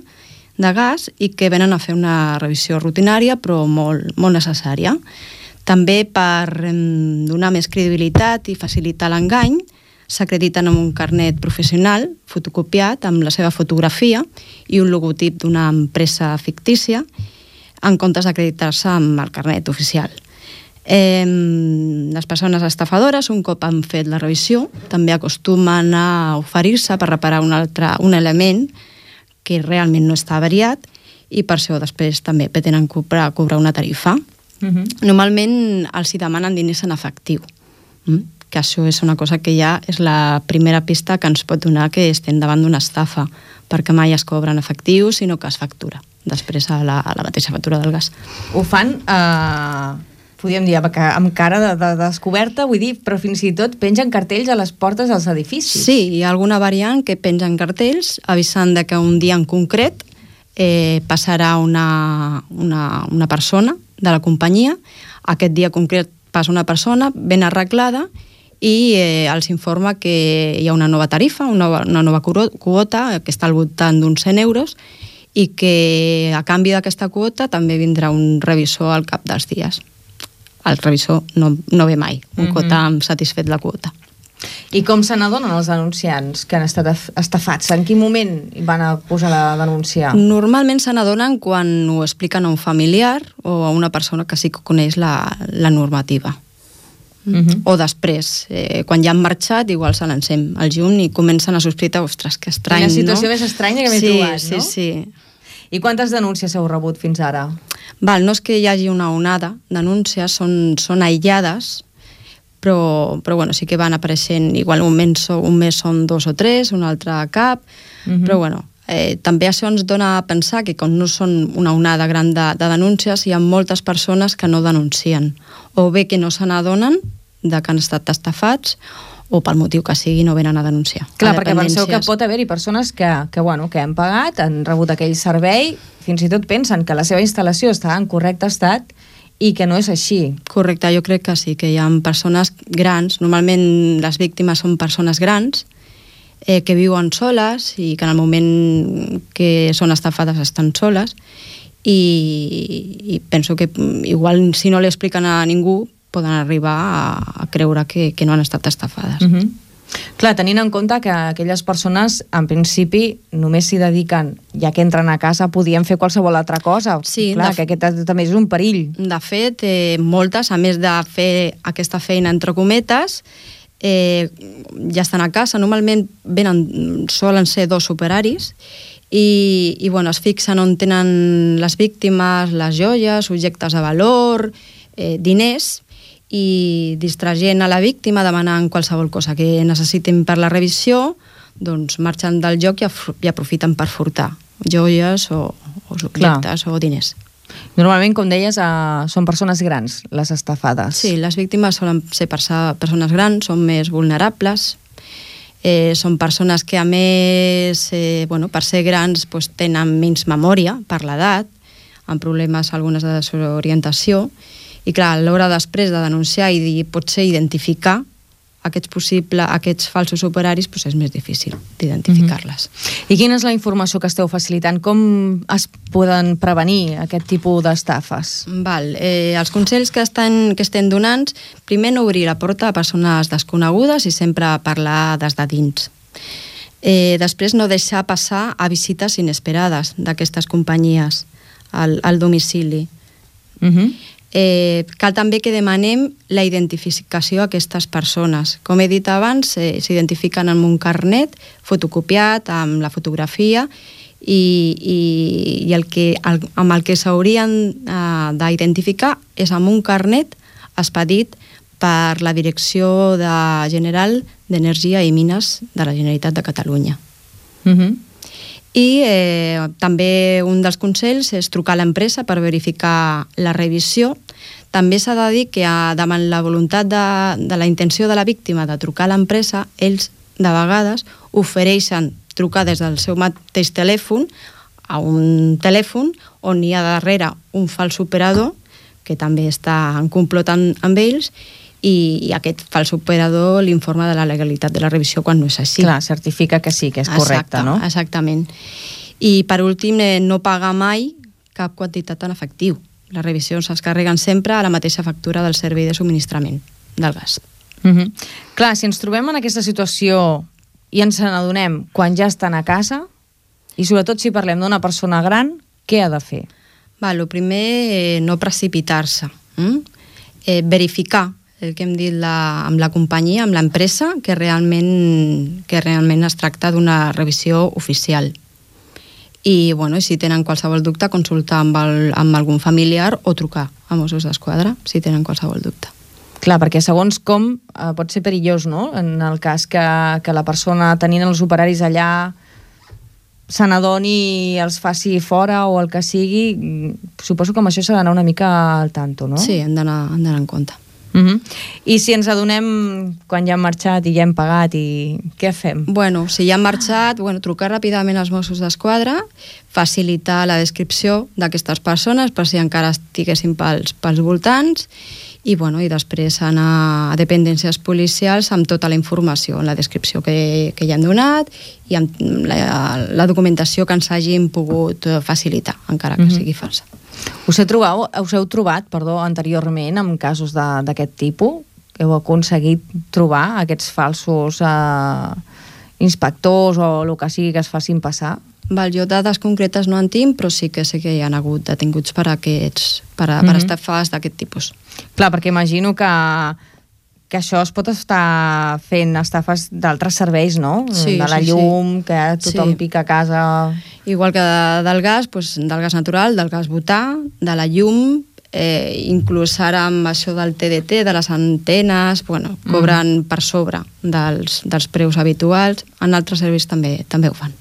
de gas i que venen a fer una revisió rutinària però molt, molt necessària. També per eh, donar més credibilitat i facilitar l'engany s'acrediten amb un carnet professional fotocopiat amb la seva fotografia i un logotip d'una empresa fictícia en comptes d'acreditar-se amb el carnet oficial. Eh, les persones estafadores, un cop han fet la revisió, també acostumen a oferir-se per reparar un, altre, un element que realment no està avariat i per això després també pretenen cobrar, cobrar una tarifa. Uh-huh. Normalment els hi demanen diners en efectiu, mm? que això és una cosa que ja és la primera pista que ens pot donar que estem davant d'una estafa, perquè mai es cobra en efectiu, sinó que es factura després a la, a la mateixa factura del gas. Ho fan... Eh... podríem dir, amb cara de, de descoberta, vull dir, però fins i tot pengen cartells a les portes dels edificis. Sí, hi ha alguna variant que pengen cartells avisant de que un dia en concret eh, passarà una, una, una persona de la companyia. Aquest dia concret passa una persona ben arreglada i eh, els informa que hi ha una nova tarifa, una nova, una nova quota que està al voltant d'uns cent euros i que a canvi d'aquesta quota també vindrà un revisor al cap dels dies. El revisor no, no ve mai, un cop mm-hmm. ha satisfet la quota. I com se n'adonen els denunciants que han estat estafats? En quin moment van a posar la denúncia? Normalment se n'adonen quan ho expliquen a un familiar o a una persona que sí que coneix la, la normativa. Mm-hmm. O després, eh, quan ja han marxat, igual se l'encem al llum i comencen a sospitar, ostres, que estrany, no? Una situació no? més estranya que m'he sí, trobat, sí, no? Sí, sí. I quantes denúncies heu rebut fins ara? Val, no és que hi hagi una onada denúncies, són, són aïllades, però, però bueno, sí que van apareixent, igual un mes, un mes són dos o tres, un altre cap, mm-hmm. però bueno, eh, també això ens dona a pensar que com no són una onada gran de, de denúncies, hi ha moltes persones que no denuncien, o bé que no se n'adonen de que han estat estafats, o pel motiu que sigui no venen a denunciar. Clar, perquè penseu que pot haver-hi persones que, que, bueno, que han pagat, han rebut aquell servei, fins i tot pensen que la seva instal·lació està en correcte estat i que no és així. Correcte, jo crec que sí, que hi ha persones grans, normalment les víctimes són persones grans, eh, que viuen soles i que en el moment que són estafades estan soles i, i penso que igual si no li expliquen a ningú poden arribar a, a creure que, que no han estat estafades. Uh-huh. Clar, tenint en compte que aquelles persones, en principi, només s'hi dediquen, ja que entren a casa, podien fer qualsevol altra cosa. Sí, clar, que aquest també és un perill. De fet, eh, moltes, a més de fer aquesta feina entre cometes, eh, ja estan a casa, normalment venen, solen ser dos operaris, i, i bueno, es fixen on tenen les víctimes, les joies, objectes de valor, eh, diners, i distraient a la víctima demanant qualsevol cosa que necessitin per la revisió, doncs marxen del lloc i, i aprofiten per furtar joies o, o objectes o diners. Normalment, com deies, uh, són persones grans les estafades. Sí, les víctimes solen ser persones grans, són més vulnerables, eh, són persones que a més, eh, bueno, per ser grans pues, tenen menys memòria per l'edat, amb problemes algunes de desorientació. I clar, a l'hora després de denunciar i dir, potser identificar aquests possibles, aquests falsos operaris, doncs és més difícil d'identificar-les. Mm-hmm. I quina és la informació que esteu facilitant? Com es poden prevenir aquest tipus d'estafes? Val, eh, els consells que, estan, que estem donant, primer no obrir la porta a persones desconegudes i sempre parlar des de dins. Eh, després no deixar passar a visites inesperades d'aquestes companyies al, al domicili. Mhm. Eh, cal també que demanem la identificació d'aquestes persones. Com he dit abans, eh, s'identifiquen amb un carnet fotocopiat, amb la fotografia, i, i, i el que, el, amb el que s'haurien eh, d'identificar és amb un carnet expedit per la Direcció de General d'Energia i Mines de la Generalitat de Catalunya. Mhm. I eh, també un dels consells és trucar a l'empresa per verificar la revisió. També s'ha de dir que a, davant la voluntat de, de la intenció de la víctima de trucar a l'empresa, ells de vegades ofereixen trucar des del seu mateix telèfon a un telèfon on hi ha darrere un fals operador que també està en complot amb, amb ells, i, i aquest fals operador l'informa de la legalitat de la revisió quan no és així. Clar, certifica que sí, que és correcte, Exacte, no? Exactament. I per últim, eh, no pagar mai cap quantitat en efectiu. Les revisions es carreguen sempre a la mateixa factura del servei de subministrament del gas. Mm-hmm. Clar, si ens trobem en aquesta situació i ens n'adonem quan ja estan a casa, i sobretot si parlem d'una persona gran, què ha de fer? Va, el primer, eh, no precipitar-se. Mm? Eh, verificar el que hem dit la, amb la companyia, amb l'empresa, que realment, que realment es tracta d'una revisió oficial. I bueno, si tenen qualsevol dubte, consultar amb, el, amb algun familiar o trucar a Mossos d'Esquadra si tenen qualsevol dubte. Clar, perquè segons com eh, pot ser perillós, no? En el cas que, que la persona tenint els operaris allà se n'adoni i els faci fora o el que sigui, suposo que amb això s'ha d'anar una mica al tanto, no? Sí, hem d'anar en compte. Uh -huh. I si ens adonem quan ja hem marxat i ja hem pagat, i què fem? Bueno, si ja hem marxat, bueno, trucar ràpidament als Mossos d'Esquadra, facilitar la descripció d'aquestes persones per si encara estiguessin pels, pels voltants, i, bueno, i després anar a dependències policials amb tota la informació, la descripció que, que ja hem donat i amb la, la documentació que ens hagin pogut facilitar, encara que uh-huh. sigui falsa. Us, he trobat, us heu trobat perdó, anteriorment amb casos d'aquest tipus? Heu aconseguit trobar aquests falsos eh, inspectors o el que sigui que es facin passar? Val, jo dades concretes no en tinc, però sí que sé que hi ha hagut detinguts per, aquests, per, a, per Mhm. estafes d'aquest tipus. Clar, perquè imagino que, que això es pot estar fent estafes d'altres serveis, no? Sí, de la sí, llum, sí. que tothom Sí. pica a casa... Igual que de, del gas, doncs, del gas natural, del gas butà, de la llum, eh, inclús ara amb això del T D T, de les antenes, bueno, cobren mm. per sobre dels, dels preus habituals. En altres serveis també també ho fan.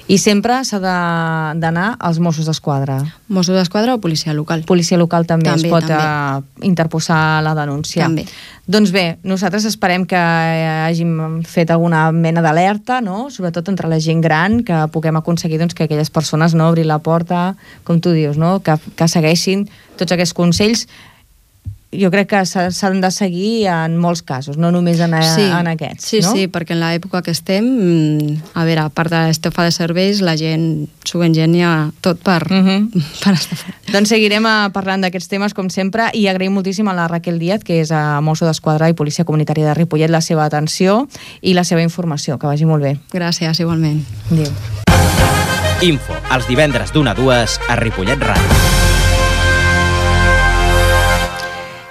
I sempre s'ha de- d'anar als Mossos d'Esquadra? Mossos d'Esquadra o policia local. Policia local també, També, es pot també. eh, interposar la denúncia. També. Doncs bé, nosaltres esperem que hàgim fet alguna mena d'alerta, no? Sobretot entre la gent gran, que puguem aconseguir doncs, que aquelles persones no obrin la porta, com tu dius, no? que, que segueixin tots aquests consells. Jo crec que s'ha- s'han de seguir en molts casos, no només en, Sí, en aquests. sí, no? sí, perquè en l'època que estem, mm, a veure, a part de l'estafa de serveis, la gent s'ho engenya tot per, Uh -huh. per estafar. Doncs seguirem eh, parlant d'aquests temes com sempre, i agraïm moltíssim a la Raquel Díaz, que és a Mosso d'Esquadra i Policia Comunitària de Ripollet, la seva atenció i la seva informació. Que vagi molt bé. Gràcies, igualment. Adéu. Info, els divendres d'una a dues a Ripollet Ràdio.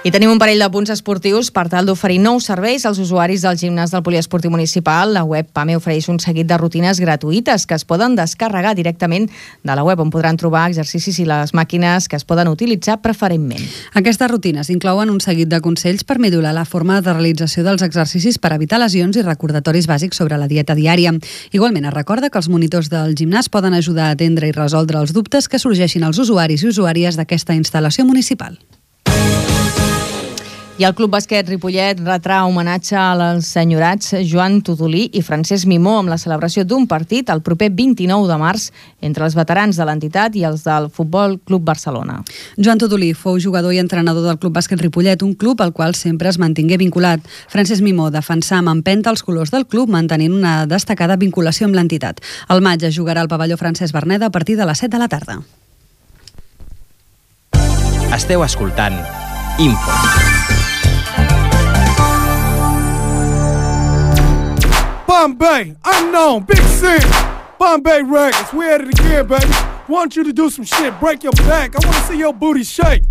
I tenim un parell de punts esportius per tal d'oferir nous serveis als usuaris del gimnàs del Poliesportiu Municipal. La web PAME ofereix un seguit de rutines gratuïtes que es poden descarregar directament de la web, on podran trobar exercicis i les màquines que es poden utilitzar preferentment. Aquestes rutines inclouen un seguit de consells per millorar la forma de realització dels exercicis per evitar lesions i recordatoris bàsics sobre la dieta diària. Igualment, es recorda que els monitors del gimnàs poden ajudar a atendre i resoldre els dubtes que sorgeixin als usuaris i usuàries d'aquesta instal·lació municipal. I el Club Bàsquet Ripollet retrà homenatge als enyorats Joan Tudolí i Francesc Mimó amb la celebració d'un partit el proper vint-i-nou de març entre els veterans de l'entitat i els del Futbol Club Barcelona. Joan Tudolí fou jugador i entrenador del Club Bàsquet Ripollet, un club al qual sempre es mantingué vinculat. Francesc Mimó defensà amb empenta els colors del club, mantenint una destacada vinculació amb l'entitat. Al maig es jugarà al pavelló Francesc Berneda a partir de les set de la tarda. Esteu escoltant Info. Bombay, unknown, big sin. Bombay Records, we at it again, baby. Want you to do some shit, break your back. I want to see your booty shake.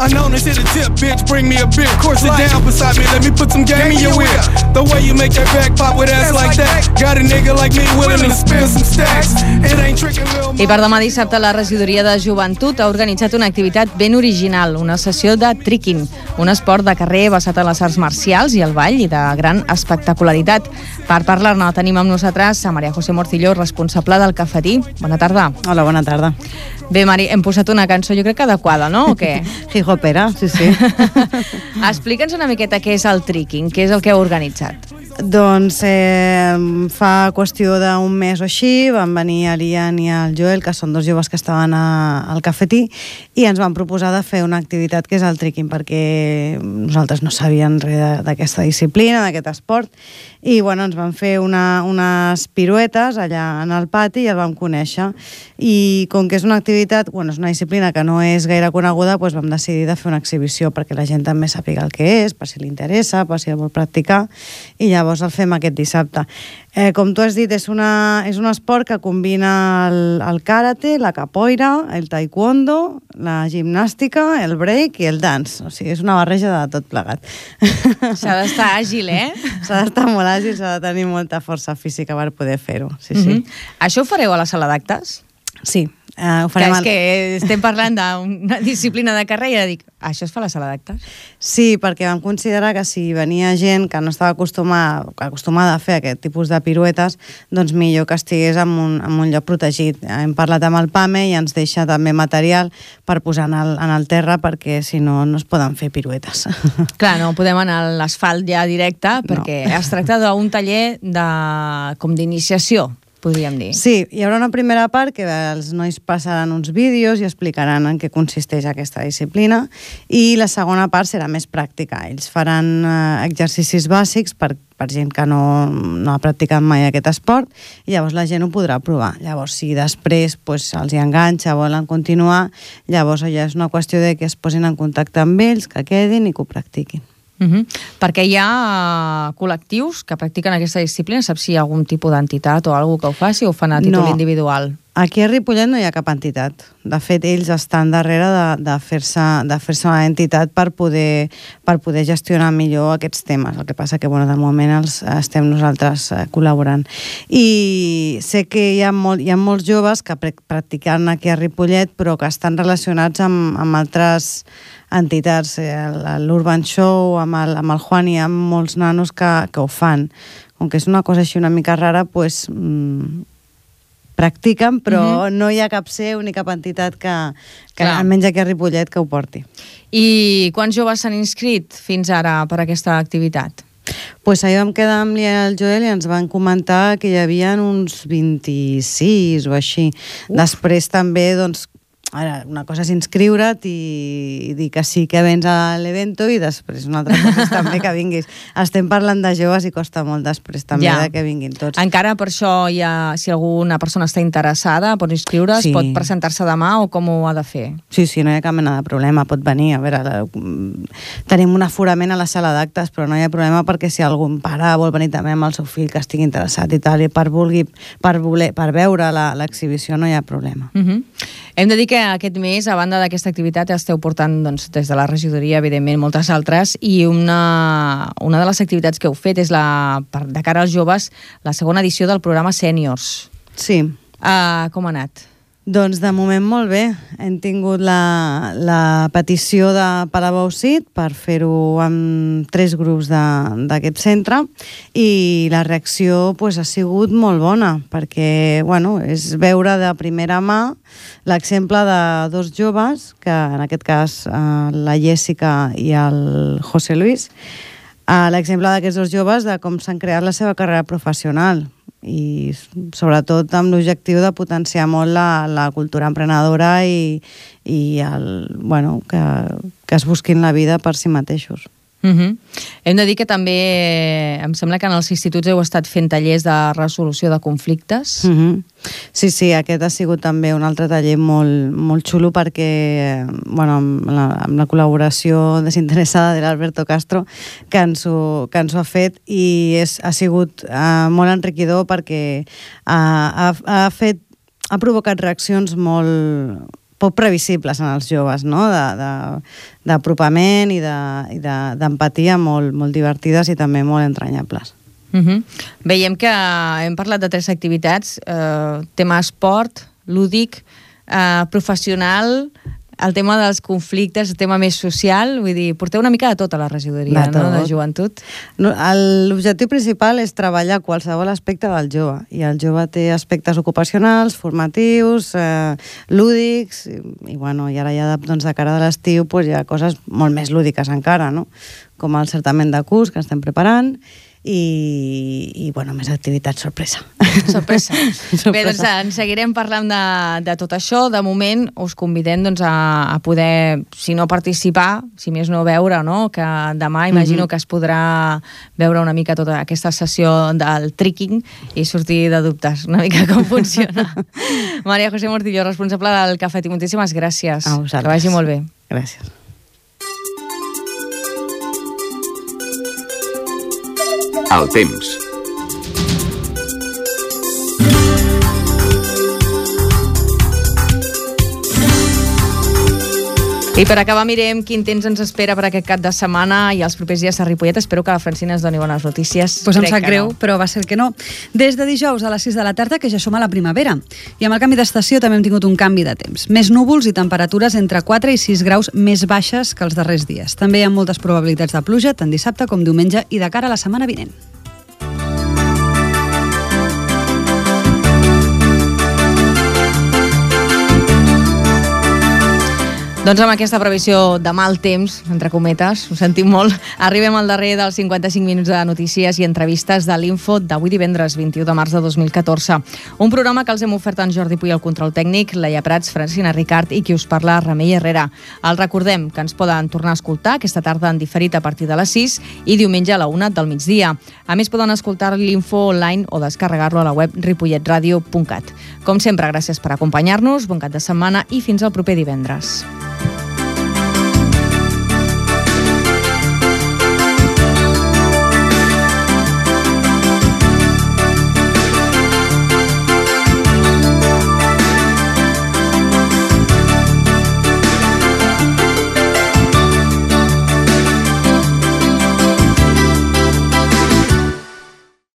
I know this hit a tip, bitch, bring me a beer. Course it down beside me, let me put some game in your ear. The way you make that back pop with ass like that. Got a nigga like me willing to spend some stacks. It ain't tricking real I per demà dissabte la regidoria de joventut ha organitzat una activitat ben original, una sessió de tricking, un esport de carrer basat en les arts marcials i el ball i de gran espectacularitat. Per parlar-ne tenim amb nosaltres a Maria José Morcillo, responsable del Cafetí. Bona tarda. Hola, bona tarda. Bé, Mari, hem posat una cançó jo crec que adequada, no? O què? Hip-hopera, sí, sí. Explica'ns una miqueta què és el tricking, què és el que heu organitzat. Doncs eh, fa qüestió d'un mes o així van venir l'Ian i el Joel, que són dos joves que estaven a, al Cafetí, i ens van proposar de fer una activitat que és el tricking, perquè nosaltres no sabíem res d'aquesta disciplina, d'aquest esport, i bueno, ens van fer una, unes piruetes allà en el pati i el vam conèixer. I com que és una activitat, bueno, és una disciplina que no és gaire coneguda, doncs vam decidir de fer una exhibició perquè la gent també sàpiga el que és, per si li interessa, per si el vol practicar, i llavors el fem aquest dissabte. Eh, com tu has dit, és, una, és un esport que combina el, el karate, la capoeira, el taekwondo, la gimnàstica, el break i el dance. O sigui, és una barreja de tot plegat. S'ha d'estar àgil, eh? S'ha d'estar molt àgil, s'ha de tenir molta força física per poder fer-ho. Sí, sí. Mm-hmm. Això ho fareu a la sala d'actes? Sí. Uh, ho farem que és que estem parlant d'una disciplina de carrera i dic, això es fa a la sala d'actes? Sí, perquè vam considerar que si venia gent que no estava acostumada, acostumada a fer aquest tipus de piruetes, doncs millor que estigués en un, en un lloc protegit. Hem parlat amb el PAME i ens deixa també material per posar en el, en el terra, perquè si no, no es poden fer piruetes. Clar, no podem anar a l'asfalt ja directe, perquè no. Es tracta d'un taller de, com d'iniciació, podríem dir. Sí, hi haurà una primera part que els nois passaran uns vídeos i explicaran en què consisteix aquesta disciplina, i la segona part serà més pràctica. Ells faran eh, exercicis bàsics per, per gent que no, no ha practicat mai aquest esport, i llavors la gent ho podrà provar. Llavors, si després pues, els hi enganxa, volen continuar, llavors ja és una qüestió de que es posin en contacte amb ells, que quedin i que ho practiquin. Uh-huh. Perquè hi ha uh, col·lectius que practiquen aquesta disciplina. Saps si hi ha algun tipus d'entitat o alguna que ho faci, o ho fan a títol no. individual? Aquí a Ripollet no hi ha cap entitat. De fet, ells estan darrere de, de fer-se de fer-se una entitat per poder, per poder gestionar millor aquests temes. El que passa que, bueno, de moment els estem nosaltres eh, col·laborant. I sé que hi ha, molt, hi ha molts joves que practiquen aquí a Ripollet, però que estan relacionats amb, amb altres entitats. L'Urban Show, amb el, amb el Juan, hi ha molts nanos que, que ho fan. Com que és una cosa així una mica rara, doncs... Pues, mmm, practiquen, però uh-huh. no hi ha cap seu ni cap entitat que, que almenys aquí a Ripollet, que ho porti. I quants joves s'han inscrit fins ara per aquesta activitat? Pues ahir vam quedar amb l'Ia i el Joel i ens van comentar que hi havia uns vint-i-sis o així. Uf. Després també, doncs, ara, una cosa és inscriure't i, i dir que sí que vens a l'evento, i després una altra cosa és també que vinguis. Estem parlant de joves i costa molt després també ja. De que vinguin tots. Encara per això hi ha, si alguna persona està interessada, pot inscriure's, sí. Pot presentar-se demà, o com ho ha de fer? Sí, sí, no hi ha cap mena de problema, pot venir. A veure, tenim un aforament a la sala d'actes, però no hi ha problema, perquè si algun pare vol venir també amb el seu fill que estigui interessat i tal, i per, vulgui, per, voler, per veure l'exhibició no hi ha problema. Uh-huh. Hem de dir que aquest mes, a banda d'aquesta activitat, esteu portant doncs, des de la regidoria, evidentment, moltes altres, i una, una de les activitats que heu fet és, la, de cara als joves, la segona edició del programa Sèniors. Sí. Uh, com ha anat? Doncs de moment molt bé. Hem tingut la, la petició de Palau-Sit per fer-ho amb tres grups d'aquest centre, i la reacció pues, ha sigut molt bona, perquè bueno, és veure de primera mà l'exemple de dos joves, que en aquest cas eh, la Jessica i el José Luis, eh, l'exemple d'aquests dos joves de com s'han creat la seva carrera professional, i sobretot amb l'objectiu de potenciar molt la, la cultura emprenedora i, i el, bueno, que, que es busquin la vida per si mateixos. Uh-huh. Hem de dir que també em sembla que en els instituts heu estat fent tallers de resolució de conflictes. Uh-huh. Sí, sí, aquest ha sigut també un altre taller molt, molt xulo, perquè bueno, amb, la, amb la col·laboració desinteressada de l'Alberto Castro que ens ho, que ens ho ha fet, i és, ha sigut uh, molt enriquidor, perquè uh, ha, ha fet ha provocat reaccions molt poc previsibles en els joves, no? D'apropament i d'empatia de, molt, molt divertides i també molt entranyables. Uh-huh. Veiem que hem parlat de tres activitats, eh, tema esport, lúdic, eh, professional, el tema dels conflictes, el tema més social, vull dir, porteu una mica de tot a la regidoria, de, no? De joventut. No, l'objectiu principal és treballar qualsevol aspecte del jove, i el jove té aspectes ocupacionals, formatius, eh, lúdics, i, i, bueno, i ara ja doncs, de cara de l'estiu pues, hi ha coses molt més lúdiques encara, no? Com el certament de curs que estem preparant, i, i bueno, més activitats sorpresa. Sorpresa. sorpresa. Bé, doncs en seguirem parlant de, de tot això. De moment us convidem doncs, a, a poder, si no participar, si més no veure, no? Que demà imagino mm-hmm. que es podrà veure una mica tota aquesta sessió del tricking i sortir de dubtes una mica com funciona. Maria José Mortillo, responsable del Cafetí, moltíssimes gràcies. A vosaltres. Que vagi molt bé. Gràcies. El temps. I per acabar mirem quin temps ens espera per aquest cap de setmana i els propers dies a Ripollet. Espero que la Francina ens doni bones notícies. Pues em Crec sap que greu, no. però va ser que no. Des de dijous a les sis de la tarda, que ja som a la primavera. I amb el canvi d'estació també hem tingut un canvi de temps. Més núvols i temperatures entre quatre i sis graus més baixes que els darrers dies. També hi ha moltes probabilitats de pluja, tant dissabte com diumenge i de cara a la setmana vinent. Doncs amb aquesta previsió de mal temps, entre cometes, ho sentim molt, arribem al darrer dels cinquanta-cinc minuts de notícies i entrevistes de l'Info d'avui divendres vint-i-u de març de dos mil catorze. Un programa que els hem ofert en Jordi Puy al control tècnic, Laia Prats, Francina Ricard i qui us parla, Remei Herrera. El recordem que ens poden tornar a escoltar aquesta tarda en diferit a partir de les sis i diumenge a la una del migdia. A més, poden escoltar l'Info online o descarregar-lo a la web ripollet radio punt cat. Com sempre, gràcies per acompanyar-nos, bon cap de setmana i fins al proper divendres.